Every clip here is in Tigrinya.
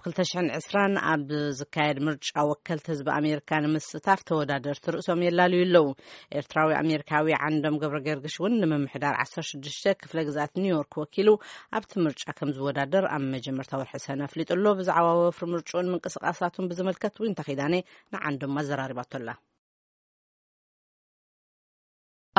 ክልተ ሽሕን ዕስራን ኣብ ዝካየድ ምርጫ ወከልቲ ህዝቢ ኣሜሪካ ንምስታፍ ተወዳደርቲ ርእሶም የላልዩ ኣለዉ። ኤርትራዊ ኣሜሪካዊ ዓንዶም ገብረ ገርግሽ እውን ንምምሕዳር ዓሰርተ ሽዱሽተ ክፍለ ግዝኣት ኒውዮርክ ወኪሉ ኣብቲ ምርጫ ከም ዝወዳደር ኣብ መጀመርታ ወርሒ ሰነ ኣፍሊጡ ኣሎ። ብዛዕባ ወፍሪ ምርጭኡን ምንቅስቃሳቱን ብዝምልከት ዊንታ ኪዳነ ንዓንዶም ኣዘራሪባቶ ኣላ።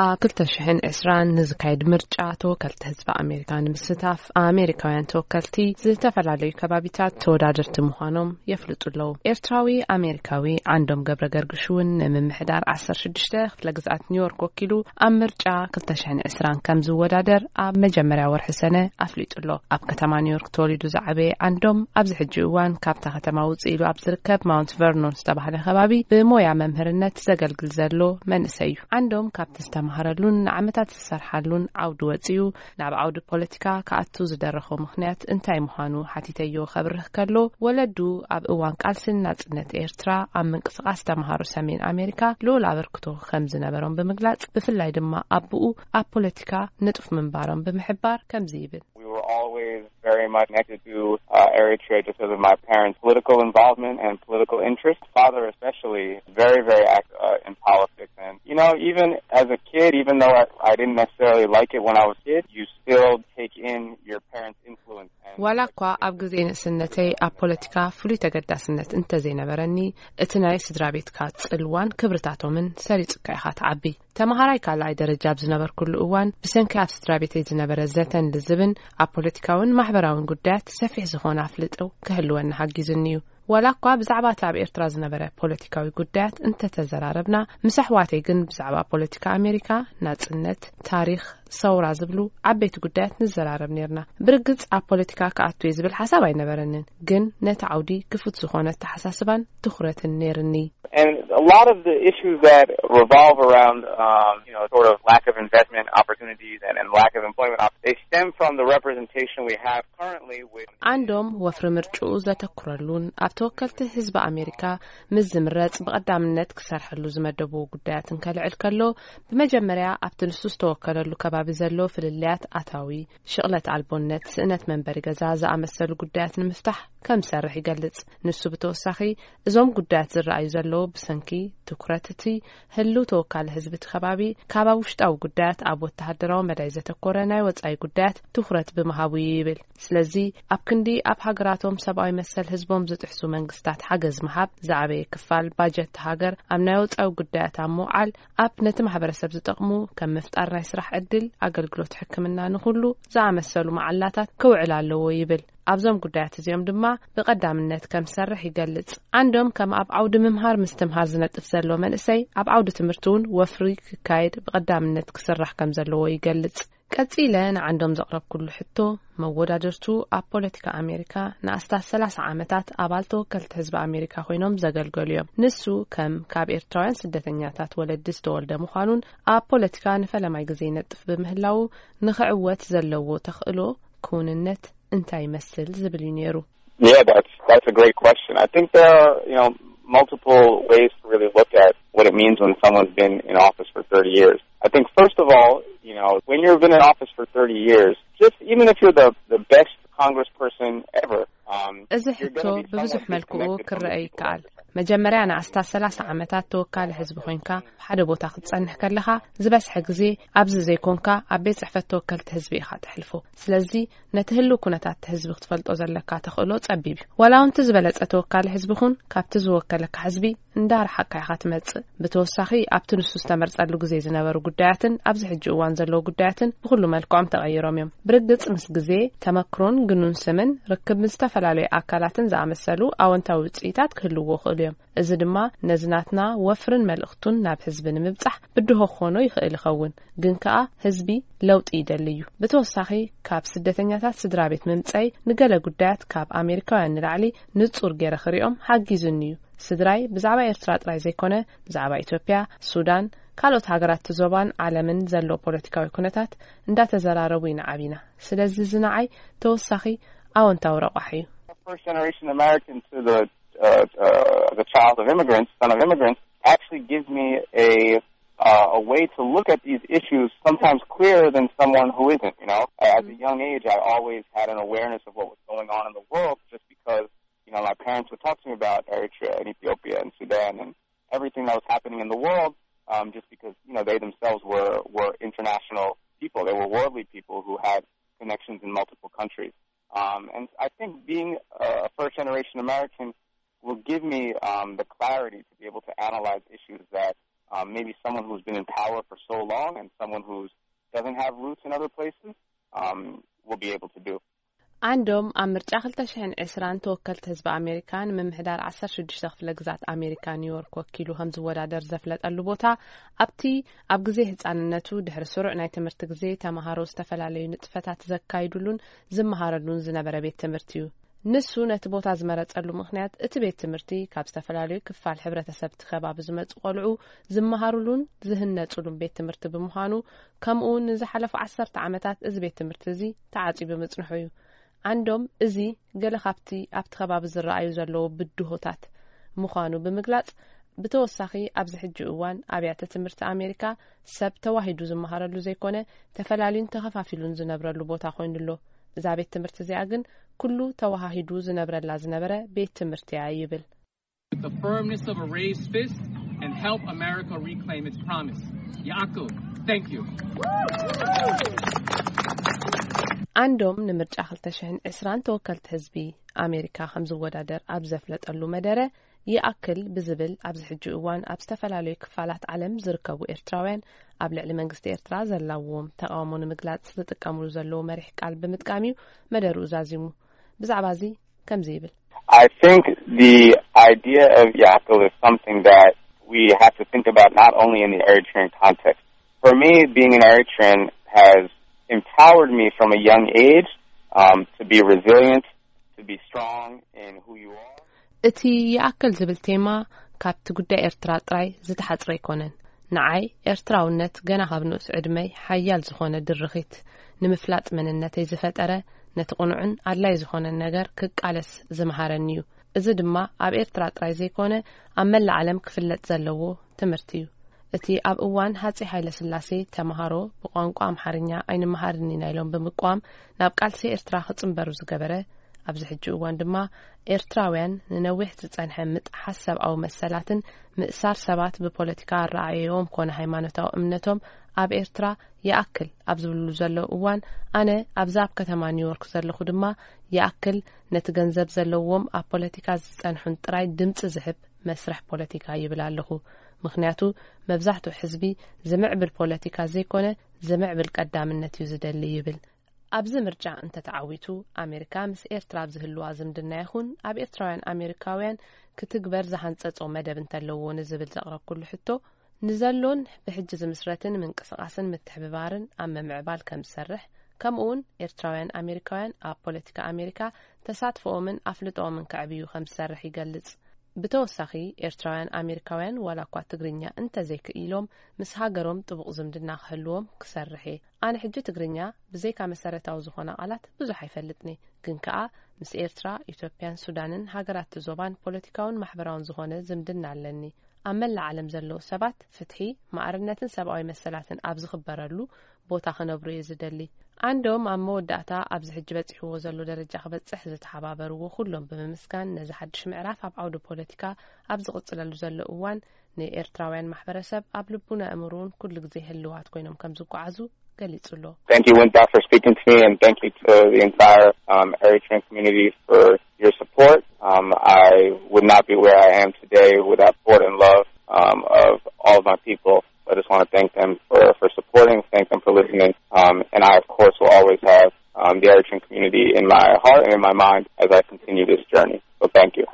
ኣብ ክልተ ሽሕን ዕስራን ንዝካየድ ምርጫ ተወከልቲ ህዝቢ ኣሜሪካ ንምስታፍ ኣሜሪካውያን ተወከልቲ ዝተፈላለዩ ከባቢታት ተወዳደርቲ ምዃኖም የፍልጡ ኣለዉ። ኤርትራዊ ኣሜሪካዊ ዓንዶም ገብረ ገርግሽ እውን ንምምሕዳር ዓሰርተ ሽዱሽተ ክፍለ ግዝኣት ኒውዮርክ ወኪሉ ኣብ ምርጫ ክልተ ሽሕን ዕስራን ከም ዝወዳደር ኣብ መጀመርያ ወርሒ ሰነ ኣፍሊጡ ኣሎ። ኣብ ከተማ ኒውዮርክ ተወሊዱ ዝዓበየ ዓንዶም ኣብዚ ሕጂ እዋን ካብታ ከተማ ውፅእ ኢሉ ኣብ ዝርከብ ማውንት ቨርኖን ዝተባህለ ከባቢ ብሞያ መምህርነት ዘገልግል ዘሎ መንእሰይ እዩ። ዓንዶም ካብቲ ዝተማሃረሉን ንዓመታት ዝሰርሓሉን ዓውዲ ወፂኡ ናብ ዓውዲ ፖለቲካ ክኣቱ ዝደረኾ ምኽንያት እንታይ ምዃኑ ሓቲተዮ ከብርህ ከሎ፣ ወለዱ ኣብ እዋን ቃልስን ናጽነት ኤርትራ ኣብ ምንቅስቃስ ተምሃሮ ሰሜን ኣሜሪካ ልዑል ኣበርክቶ ከም ዝነበሮም ብምግላጽ፣ ብፍላይ ድማ ኣቦኡ ኣብ ፖለቲካ ንጡፍ ምንባሮም ብምሕባር ከምዚ ይብል። We were always very much connected to uh, Eritrea just because of my parents' political involvement and political interest. Father, especially, very, very active uh, in politics. And, you know, even as a kid, even though I, I didn't necessarily like it when I was a kid, you still take in your parents' influence. And ዋላ እኳ ኣብ ግዜ ንእስነተይ ኣብ ፖለቲካ ፍሉይ ተገዳስነት እንተዘይነበረኒ፣ እቲ ናይ ስድራ ቤትካ ጽልዋን ክብርታቶምን ሰሪጹካ ኢኻ ትዓቢ። ተመሃራይ ካልኣይ ደረጃ ኣብ ዝነበርኩሉ እዋን፣ ብሰንኪ ኣብ ስድራ ቤተይ ዝነበረ ዘተን ልዝብን፣ ኣብ ፖለቲካውን ማሕበራውን ጉዳያት ሰፊሕ ዝኾነ ኣፍልጦ ክህልወኒ ሓጊዙኒ እዩ። ዋላ እኳ ብዛዕባ እቲ ኣብ ኤርትራ ዝነበረ ፖለቲካዊ ጉዳያት እንተተዘራረብና፣ ምስ ኣሕዋተይ ግን ብዛዕባ ፖለቲካ ኣሜሪካ፣ ናጽነት፣ ታሪኽ፣ ሰውራ ዝብሉ ዓበይቲ ጉዳያት ንዘራረብ ኔርና። ብርግጽ ኣብ ፖለቲካ ክኣቱ እየ ዝብል ሓሳብ ኣይነበረንን፣ ግን ነቲ ዓውዲ ክፉት ዝኾነ ኣተሓሳስባን ትኹረትን ኔርኒ። And a lot of the issues that revolve around, um, you know, sort of lack of investment opportunities and, and lack of employment opportunities, they stem from the representation we have currently with ዓንዶም ወፍሪ ምርጭኡ ዘተኩረሉን ኣብ ተወከልቲ ህዝቢ ኣሜሪካ ምስ ዝምረጽ ብቐዳምነት ክሰርሐሉ ዝመደብዎ ጉዳያትን ከልዕል ከሎ፣ ብመጀመርያ ኣብቲ ንሱ ዝተወከለሉ ከባቢ ዘሎ ፍልልያት ኣታዊ፣ ሽቕለት ኣልቦነት፣ ስእነት መንበሪ ገዛ ዝኣመሰሉ ጉዳያት ንምፍታሕ ከም ዝሰርሕ ይገልጽ። ንሱ ብተወሳኺ፣ እዞም ጉዳያት ዝረኣዩ ዘለዉ ብሰንኪ ትኩረት እቲ ህልው ተወካሊ ህዝቢ እቲ ከባቢ ካብ ኣብ ውሽጣዊ ጉዳያት ኣብ ወተሃደራዊ መዳይ ዘተኮረ ናይ ወጻኢ ጉዳያት ትኩረት ብምሃቡ እዩ ይብል። ስለዚ ኣብ ክንዲ ኣብ ሃገራቶም ሰብኣዊ መሰል ህዝቦም ዝጥሕሱ መንግስታት ሓገዝ ምሃብ፣ ዝዓበየ ክፋል ባጀት ሃገር ኣብ ናይ ወጻኢ ጉዳያት ኣብ ምውዓል፣ ኣብ ነቲ ማሕበረሰብ ዝጠቕሙ ከም ምፍጣር ናይ ስራሕ ዕድል፣ ኣገልግሎት ሕክምና ንኹሉ ዝኣመሰሉ መዓላታት ክውዕል ኣለዎ ይብል። ኣብዞም ጉዳያት እዚኦም ድማ ብቐዳምነት ከም ዝሰርሕ ይገልጽ። ዓንዶም ከም ኣብ ዓውዲ ምምሃር ምስትምሃር ዝነጥፍ ዘሎ መንእሰይ፣ ኣብ ዓውዲ ትምህርቲ እውን ወፍሪ ክካየድ ብቐዳምነት ክስራሕ ከም ዘለዎ ይገልጽ። ቀጺለ ንዓንዶም ዘቕረብኩሉ ሕቶ፣ መወዳድርቱ ኣብ ፖለቲካ ኣሜሪካ ንኣስታት ሰላሳ ዓመታት ኣባል ተወከልቲ ህዝቢ ኣሜሪካ ኮይኖም ዘገልገሉ እዮም። ንሱ ከም ካብ ኤርትራውያን ስደተኛታት ወለዲ ዝተወልደ ምዃኑን ኣብ ፖለቲካ ንፈለማይ ግዜ ይነጥፍ ብምህላዉ ንኽዕወት ዘለዎ ተኽእሎ ክውንነት እንታይ ይመስል ዝብል እዩ ነይሩ። Yeah, that's that's a great question. I think there are, you know, multiple ways to really look at what it means when someone's been in office for thirty years. I think first of all, you know, when you've been in office for thirty years, just even if you're the the best congressperson ever, um, እዚ ሕቶ ብብዙሕ መልክኡ ክረአ ይከኣል። መጀመርያ ንኣስታት ሰላሳ ዓመታት ተወካሊ ህዝቢ ኮይንካ ሓደ ቦታ ክትጸንሕ ከለኻ፣ ዝበዝሐ ግዜ ኣብዚ ዘይኮንካ ኣብ ቤት ጽሕፈት ተወከልቲ ህዝቢ ኢኻ ተሕልፎ። ስለዚ ነቲ ህልው ኩነታት ህዝቢ ክትፈልጦ ዘለካ ተኽእሎ ጸቢብ እዩ። ዋላ እውን እቲ ዝበለጸ ተወካሊ ህዝቢ ኩን፣ ካብቲ ዝወከለካ ህዝቢ እንዳረሓቅካ ኢኻ ትመጽእ። ብተወሳኺ ኣብቲ ንሱ ዝተመርጸሉ ግዜ ዝነበሩ ጉዳያትን ኣብዚ ሕጂ እዋን ዘለዉ ጉዳያትን ብኹሉ መልክዖም ተቐይሮም እዮም። ብርግጽ ምስ ግዜ፣ ተመክሮን ግኑን ስምን ርክብ ምስ ዝተፈላለዩ ኣካላትን ዝኣመሰሉ ኣወንታዊ ውጽኢታት ክህልዎ ይኽእሉ እዮም። እዚ ድማ ነዚ ናትና ወፍርን መልእኽቱን ናብ ህዝቢ ንምብጻሕ ብድሆ ክኾኖ ይኽእል ይኸውን። ግን ከኣ ህዝቢ ለውጢ ይደሊ እዩ። ብተወሳኺ ካብ ስደተኛታት ስድራ ቤት ምምጸይ ንገለ ጉዳያት ካብ ኣሜሪካውያን ንላዕሊ ንጹር ገይረ ክሪኦም ሓጊዙኒ እዩ። ስድራይ ብዛዕባ ኤርትራ ጥራይ ዘይኮነ፣ ብዛዕባ ኢትዮጵያ፣ ሱዳን፣ ካልኦት ሃገራት እቲ ዞባን ዓለምን ዘሎ ፖለቲካዊ ኩነታት እንዳተዘራረቡ ኢና ዓቢና። ስለዚ እዚ ንዓይ ተወሳኺ ኣወንታዊ ረቋሒ እዩ። First generation American to the uh, uh, the child of immigrants, son of immigrants, actually gives me a uh, a way to look at these issues sometimes clearer than someone who isn't. You know, at a young age, I always had an awareness of what was going on in the world just because you Now, my parents would talk to me about Eritrea and Ethiopia and Sudan and everything that was happening in the world, um, just because, you know, they themselves were, were international people. They were worldly people who had connections in multiple countries. Um, and I think being a first generation American will give me, um, the clarity to be able to analyze issues that, um, maybe someone who's been in power for so long and someone who doesn't have roots in other places, um, will be able to do. ኣንዶም ኣብ ምርጫ ክልተ ሽሕን ዕስራን ተወከልቲ ህዝቢ ኣሜሪካ ንምምሕዳር ዓሰርተ ሽዱሽተ ክፍለ ግዛት ኣሜሪካ ኒውዮርክ ወኪሉ ከም ዝወዳደር ዘፍለጠሉ ቦታ፣ ኣብቲ ኣብ ግዜ ህጻንነቱ ድሕሪ ስሩዕ ናይ ትምህርቲ ግዜ ተማሃሮ ዝተፈላለዩ ንጥፈታት ዘካይዱሉን ዝመሃረሉን ዝነበረ ቤት ትምህርቲ እዩ። ንሱ ነቲ ቦታ ዝመረጸሉ ምኽንያት፣ እቲ ቤት ትምህርቲ ካብ ዝተፈላለዩ ክፋል ሕብረተሰብ እቲ ከባቢ ዝመጹ ቆልዑ ዝመሃሩሉን ዝህነጹሉን ቤት ትምህርቲ ብምዃኑ፣ ከምኡ እውን ንዝሓለፉ ዓሰርተ ዓመታት እዚ ቤት ትምህርቲ እዚ ተዓጽዩ ብምጽንሑ እዩ። ኣንዶም እዚ ገለ ካብቲ ኣብቲ ከባቢ ዝረኣዩ ዘለዉ ብድሆታት ምዃኑ ብምግላጽ፣ ብተወሳኺ ኣብዚ ሕጂ እዋን ኣብያተ ትምህርቲ ኣሜሪካ ሰብ ተዋሂዱ ዝመሃረሉ ዘይኮነ፣ ተፈላልዩን ተኸፋፊሉን ዝነብረሉ ቦታ ኮይኑ ኣሎ። እዛ ቤት ትምህርቲ እዚኣ ግን ኩሉ ተዋሃሂዱ ዝነብረላ ዝነበረ ቤት ትምህርቲ እያ ይብል። With the firmness of a raised fist and help America reclaim its promise. Yaakov, thank you. ኣንዶም ንምርጫ ክልተ ሽሕን ዕስራን ተወከልቲ ህዝቢ ኣሜሪካ ከም ዝወዳደር ኣብ ዘፍለጠሉ መደረ፣ ይኣክል ብዝብል ኣብዚ ሕጂ እዋን ኣብ ዝተፈላለዩ ክፋላት ዓለም ዝርከቡ ኤርትራውያን ኣብ ልዕሊ መንግስቲ ኤርትራ ዘላዎም ተቃውሞ ንምግላጽ ዝጥቀምሉ ዘለዉ መሪሕ ቃል ብምጥቃም እዩ መደርኡ ዛዚሙ። ብዛዕባ እዚ ከምዚ ይብል። I think the idea of Yaakov is something that we have to think about not only in the Eritrean context. For me, being an Eritrean has empowered me from a young age, um, to be resilient, to be strong in who you are. እቲ ይኣክል ዝብል ቴማ ካብቲ ጉዳይ ኤርትራ ጥራይ ዝተሓጽረ ኣይኮነን። ንዓይ ኤርትራውነት ገና ካብ ንኡስ ዕድመይ ሓያል ዝኾነ ድርኺት፣ ንምፍላጥ መንነተይ ዝፈጠረ፣ ነቲ ቅኑዕን ኣድላይ ዝኾነን ነገር ክቃለስ ዝመሃረኒ እዩ። እዚ ድማ ኣብ ኤርትራ ጥራይ ዘይኮነ ኣብ መላእ ዓለም ክፍለጥ ዘለዎ ትምህርቲ እዩ። እቲ ኣብ እዋን ሃጺይ ሃይለ ስላሴ ተመሃሮ ብቋንቋ ኣምሓርኛ ኣይንመሃርን ኢና ኢሎም ብምቋም ናብ ቃልሲ ኤርትራ ክጽንበሩ ዝገበረ፣ ኣብዚ ሕጂ እዋን ድማ ኤርትራውያን ንነዊሕ ዝጸንሐ ምጥሓስ ሰብኣዊ መሰላትን ምእሳር ሰባት ብፖለቲካ ኣረኣእያኦም ኮነ ሃይማኖታዊ እምነቶም ኣብ ኤርትራ ይኣክል ኣብ ዝብልሉ ዘለዉ እዋን፣ ኣነ ኣብዚ ኣብ ከተማ ኒውዮርክ ዘለኹ ድማ ይኣክል ነቲ ገንዘብ ዘለዎም ኣብ ፖለቲካ ዝጸንሑን ጥራይ ድምጺ ዝህብ መስርሕ ፖለቲካ ይብል ኣለኹ። ምኽንያቱ መብዛሕትኡ ሕዝቢ ዝምዕብል ፖለቲካ ዘይኮነ ዝምዕብል ቀዳምነት እዩ ዝደሊ ይብል። ኣብዚ ምርጫ እንተተዓዊቱ፣ ኣሜሪካ ምስ ኤርትራ ኣብ ዝህልዋ ዝምድና ይኹን ኣብ ኤርትራውያን ኣሜሪካውያን ክትግበር ዝሃንጸጾ መደብ እንተለዎ ንዝብል ዘቕረብኩሉ ሕቶ፣ ንዘሎን ብሕጂ ዝምስረትን ምንቅስቓስን ምትሕብባርን ኣብ ምምዕባል ከም ዝሰርሕ፣ ከምኡውን ኤርትራውያን ኣሜሪካውያን ኣብ ፖለቲካ ኣሜሪካ ተሳትፎኦምን ኣፍልጦኦምን ከዕብዩ ከም ዝሰርሕ ይገልጽ። ብተወሳኺ፣ ኤርትራውያን ኣሜሪካውያን ዋላ እኳ ትግርኛ እንተዘይክኢሎም፣ ምስ ሃገሮም ጥቡቕ ዝምድና ክህልዎም ክሰርሕ እየ። ኣነ ሕጂ ትግርኛ ብዘይካ መሰረታዊ ዝኾና ቃላት ብዙሕ ኣይፈልጥን እየ። ግን ከኣ ምስ ኤርትራ፣ ኢትዮጵያን ሱዳንን ሃገራት እቲ ዞባን ፖለቲካውን ማሕበራውን ዝኾነ ዝምድና ኣለኒ። ኣብ መላእ ዓለም ዘለዉ ሰባት ፍትሒ፣ ማዕርነትን ሰብኣዊ መሰላትን ኣብ ዝኽበረሉ ቦታ ክነብሩ እየ ዝደሊ። ኣንዶም ኣብ መወዳእታ ኣብዚ ሕጂ በጺሕዎ ዘሎ ደረጃ ክበጽሕ ዝተሓባበርዎ ኩሎም ብምምስጋን፣ ነዚ ሓድሽ ምዕራፍ ኣብ ዓውዲ ፖለቲካ ኣብ ዝቕጽለሉ ዘሎ እዋን ንኤርትራውያን ማሕበረሰብ ኣብ ልቡን ኣእምሮን ኩሉ ግዜ ህልዋት ኮይኖም ከም ዝጓዓዙ ገሊጹ ኣሎ። Thank you, Winda, for speaking to me, and thank you to the entire, um, Eritrean community for your support. Um, I would not be where I am today without support and love, um, of all of my people. So I just want to thank them for, for supporting, thank them for listening, um, and I, of course, will always have, um, the Eritrean community in my heart and in my mind as I continue this journey. So thank you.